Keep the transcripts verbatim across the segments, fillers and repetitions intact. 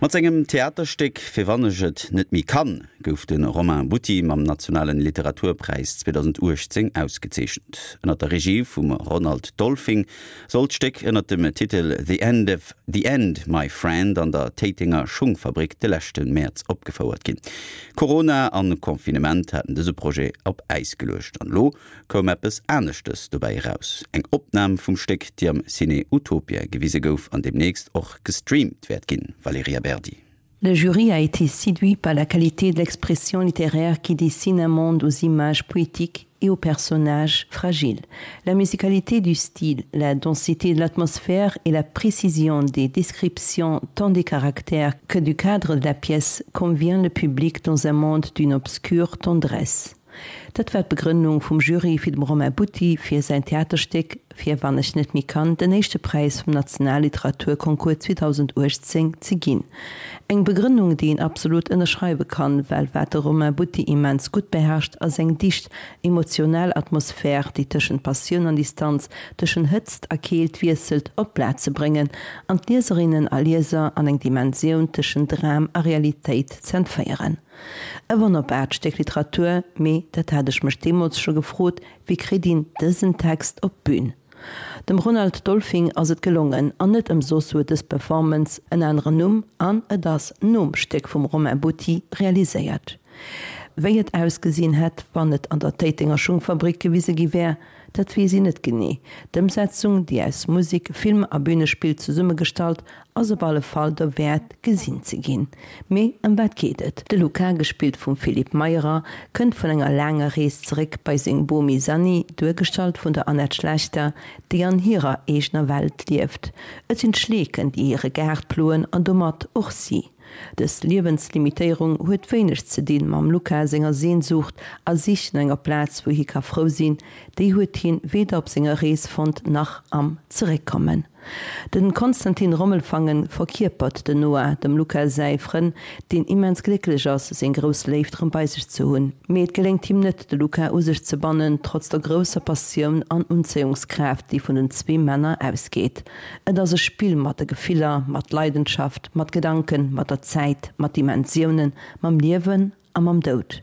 Mat sengem Theaterstéck Fir wann ech et net méi kann gouf de Romain Butti mam nationalen Literaturpräis zweedausenduechtzéng ausgezeechent. Ënner der Regie vum Ronald Dolfing soll d'Stéck ënner dem Titel The End of The End, My Friend an der Téitenger Schungfabrik de leschte Mäerz opgefouert ginn. Corona an Confinement haten dëse Projet op Äis geluecht an elo koum eppes aneschtes dobäi eraus, eng Opnam vum Stéck, déi am Ciné Utopia gewise gouf an deemnächst och gestreamt wäert ginn. Valerija Berdi. Le jury a été séduit par la qualité de l'expression littéraire qui dessine un monde aux images poétiques et aux personnages fragiles. La musicalité du style, la densité de l'atmosphère et la précision des descriptions tant des caractères que du cadre de la pièce convient le public dans un monde d'une obscure tendresse. Dat war d'Begrënnung vum Jury fir dem Romain Butti fir säin Theaterstéck Fir wann ech net méi kann den éischte Präis vum Nationalliteraturconcours zweedausenduechtzéng ze ginn. Eng Begrënnung, déi een absolut ënnerschreiwe kann, well wat de Romain Butti immens gutt beherrscht, ass eng dicht emotional Atmosphär, déi tëschent Passioun an Distanz, tëschent Hëtzt a Keelt wiesselt, op d'Blat ze bréngen an d'Lieserinnen a Lieser an eng Dimensioun tëschent Dram a Realitéit z'entféieren. E wonnerbaart Stéck Literatur, mee, dat hat ech mech deemools scho gefrot, wéi kritt een dësen Text op d'Bün? Dem Ronald Dolfing ass et gelongen, an net ëmsoss huet dës Performance en aneren Numm an et ass nom Stéck vum Romain Butti realiséiert. Wéi et ausgesinn hätt, wann et an der Téitenger Schungfabrik gewise gi wär, dat weess een net genee. D'Ëmsetzung, déi aus Musek, Film a Bünespill zesummegestallt, ass op alle Fall derwäert, gesinn ze ginn. Mee ëm wat geet et? De Luca, gespillt vum Philippe Meyerer, kënnt vun enger laanger Rees zeréck bei seng Bomi Sanni, duergestallt vun der Annette Schlechter, déi an hirer eegener Welt lieft. Et sinn d'Schleeken, déi hire Gaart ploen an domat och si. Dës Liewenslimitéierung huet wéineg ze dinn mam Luca senger Sehnsucht a Sich no enger Plaz wou hie ka frou sinn, déi huet hien weder op senger Rees fonnt nach am Zeréckkommen. Den Konstantin Rommelfangen verkierpert den Noah, dem Luca säi Frënn, deen immens glécklech ass seng grouss Léift rëm bei sech ze hunn. Mee et geléngt him net de Luca u sech ze bannen, trotz der grousser Passioun an Unzéiungskraaft déi vun den zwee Männer ausgeet. Et ass e Spill mat de Gefiller, mat Leidenschaft, mat Gedanken, mat der Zäit, mat Dimensiounen, mam Liewen a mam Doud.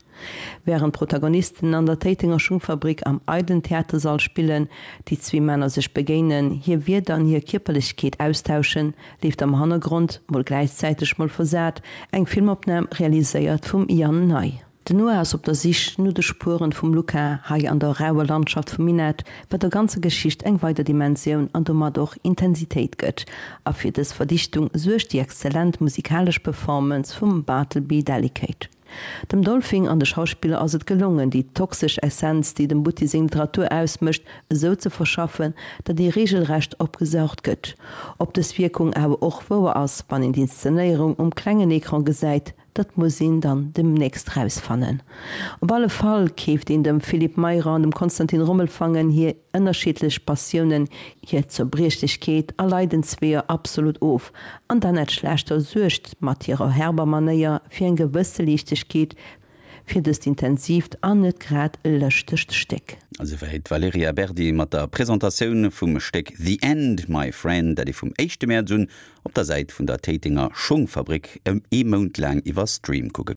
Wärend d'Protagonisten an der Téitenger Schungfabrik am eidelen Theatersall spillen, déi zwee Männer sech begéinen, hir Wierder an hir Kierperlechkeet austauschen, leeft am Hannergrond, mol gläichzäiteg, mol versat, eng Filmopnam, realiséiert vum Yann Ney. Den Noah ass op der Sich no de Spueren vum Luca hei an der rauer Landschaft vum Minett, wat der ganzer Geschicht eng weider Dimensioun an domat och Intensitéit gëtt. A fir dës Verdichtung suergt déi exzellent musikalesch Performance vum Bartleby Delicate. Dem Dolfing an de Schauspiller ass et gelongen, déi toxesch Essenz, déi dem Butti seng Literatur ausmécht, esou ze verschaffen, datt ee reegelrecht opgesaugt gëtt. Ob dës Wierkung awer och wouer ass, wann een d'Inszenéierung um klengen Ecran gesäit, dat muss een dann demnächst rausfannen. Op alle Fall keeft een dem Philippe Meyrer an dem Konstantin Rommelfangen hir ënnerschiddlech Passiounen, hir Zerbriechlechkeet a Leidensweeër absolut of, an d'Annette Schlechter suergt mat hirer herber Manéier fir eng gewësse Liichtegkeet fir dëst intensiivt an net grad lëschtegt Stéck. Esouwäit d'Valerija Berdi mat der Presentatioun vum Stéck The End, My Friend, dat ee vum éischte Mäerz un op der Säit vun der Téitenger Schongfabrik ee Mount laang iwwer Stream kucke